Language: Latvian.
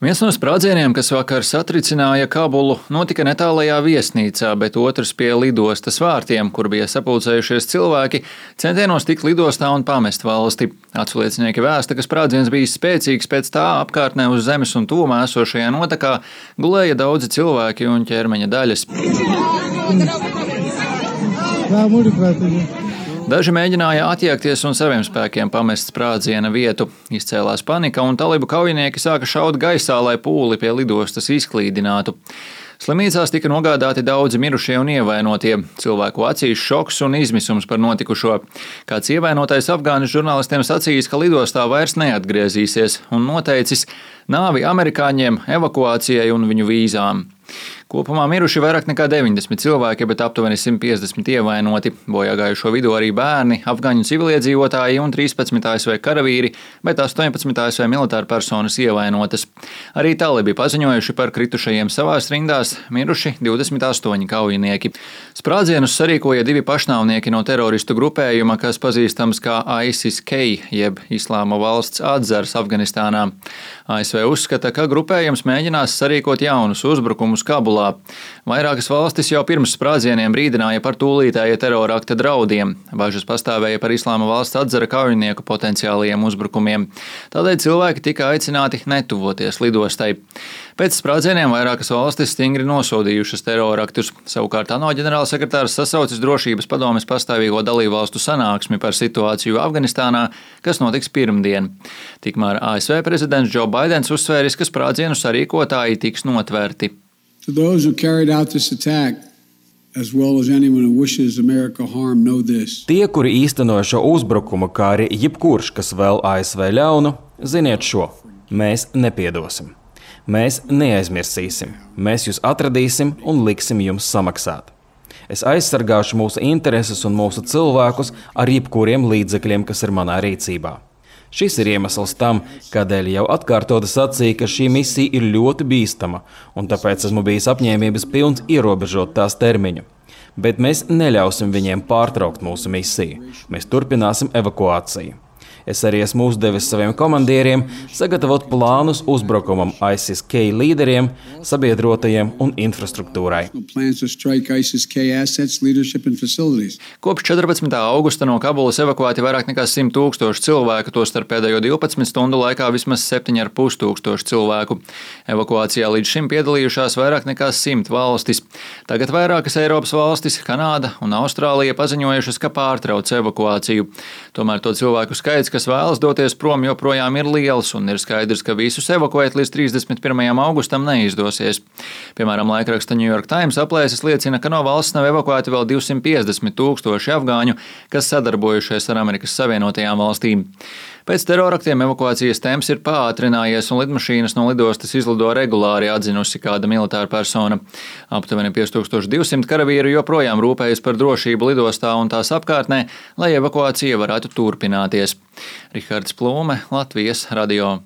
Viens no sprādzieniem, kas vakar satricināja Kabulu, notika netālajā viesnīcā, bet otrs pie lidostas vārtiem, kur bija sapulcējušies cilvēki, centienos tikt lidostā un pamest valsti. Aculiecinieki vēsta, ka sprādziens bija spēcīgs, pēc tā apkārtnē uz zemes un tuvumā esošajā notekā gulēja daudzi cilvēki un ķermeņa daļas. Daži mēģināja attiekties un saviem spēkiem pamest sprādziena vietu. Izcēlās panika un talibu kaujinieki sāka šaut gaisā, lai pūli pie lidostas izklīdinātu. Slimnīcās tika nogādāti daudzi mirušie un ievainotie. Cilvēku acīs šoks un izmisums par notikušo. Kāds ievainotais afgāņu žurnālistiem sacījis, ka lidostā vairs neatgriezīsies un noteicis nāvi amerikāņiem, evakuācijai un viņu vīzām. Kopumā miruši vairāk nekā 90 cilvēki, bet aptuveni 150 ievainoti. Bojā gājušo vidū arī bērni, afgaņu civiliedzīvotāji un 13 ASV karavīri, bet 18 ASV militāra personas ievainotas. Arī talibi paziņojuši par kritušajiem savās rindās, miruši 28 kaujinieki. Sprādzienus sarīkoja divi pašnāvnieki no teroristu grupējuma, kas pazīstams kā ISIS-K, jeb Islāma valsts atzars Afganistānā. ASV uzskata, ka grupējums mēģinās sarīkot jaunus uzbrukumus Kabulā. Vairākas valstis jau pirms sprādzieniem brīdināja par tūlītēja terorakta draudiem. Bažas pastāvēja par Islāma valsts atzara kaujinieku potenciālajiem uzbrukumiem. Tādēļ cilvēki tika aicināti netuvoties lidostai. Pēc sprādzieniem vairākas valstis stingri nosodījušas teroraktus. Savukārt ANO ģenerālsekretārs sasaucis drošības padomes pastāvīgo dalībvalstu sanāksmi par situāciju Afganistānā, kas notiks pirmdien. Tikmēr ASV prezidents Joe Baidens uzsvēris, ka sprādzienu sarīkotāji tiks notverti. To those who carried out this attack, as well as anyone who wishes America harm, know this. Tie, kuri īstenoja šo uzbrukumu, kā arī jebkurš, kas vēl ASV ļaunu, ziniet šo: mēs nepiedosim. Mēs neaizmirsīsim. Mēs jūs atradīsim un liksim jums samaksāt. Es aizsargāšu mūsu intereses un mūsu cilvēkus ar jebkuriem līdzekļiem, kas ir manā rīcībā. Šis ir iemesls tam, kādēļ jau atkārtoti sacīja, ka šī misija ir ļoti bīstama, un tāpēc esmu bijis apņēmības pilns ierobežot tās termiņu. Bet mēs neļausim viņiem pārtraukt mūsu misiju. Mēs turpināsim evakuāciju. Es arī esmu uzdevis saviem komandieriem sagatavot plānus uzbrukumam ISIS-K līderiem, sabiedrotajiem un infrastruktūrai. Kopš 14. augusta no Kabulas evakuēti vairāk nekā 100 000 cilvēku, tostarp pēdējo 12 stundu laikā vismaz 7,5 tūkstoši cilvēku. Evakuācijā līdz šim piedalījušās vairāk nekā 100 valstis. Tagad vairākas Eiropas valstis, Kanāda un Austrālija paziņojušas, ka pārtrauc evakuāciju. Tomēr to cilvēku skaits, kas vēlas doties prom, joprojām ir liels, un ir skaidrs, ka visus evakuēt līdz 31. augustam neizdosies. Piemēram, laikraksta New York Times aplēses liecina, ka no valsts nav evakuēti vēl 250 000 afgāņu, kas sadarbojušies ar Amerikas Savienotajām valstīm. Pēc teroraktiem evakuācijas temps ir pātrinājies, un lidmašīnas no lidostas izlido regulāri, atzinusi kāda militāra persona. Aptuveni 5200 karavīru joprojām rūpējas par drošību lidostā un tās apkārtnē, lai evakuācija varētu turpināties. Rihards Plūme, Latvijas radio.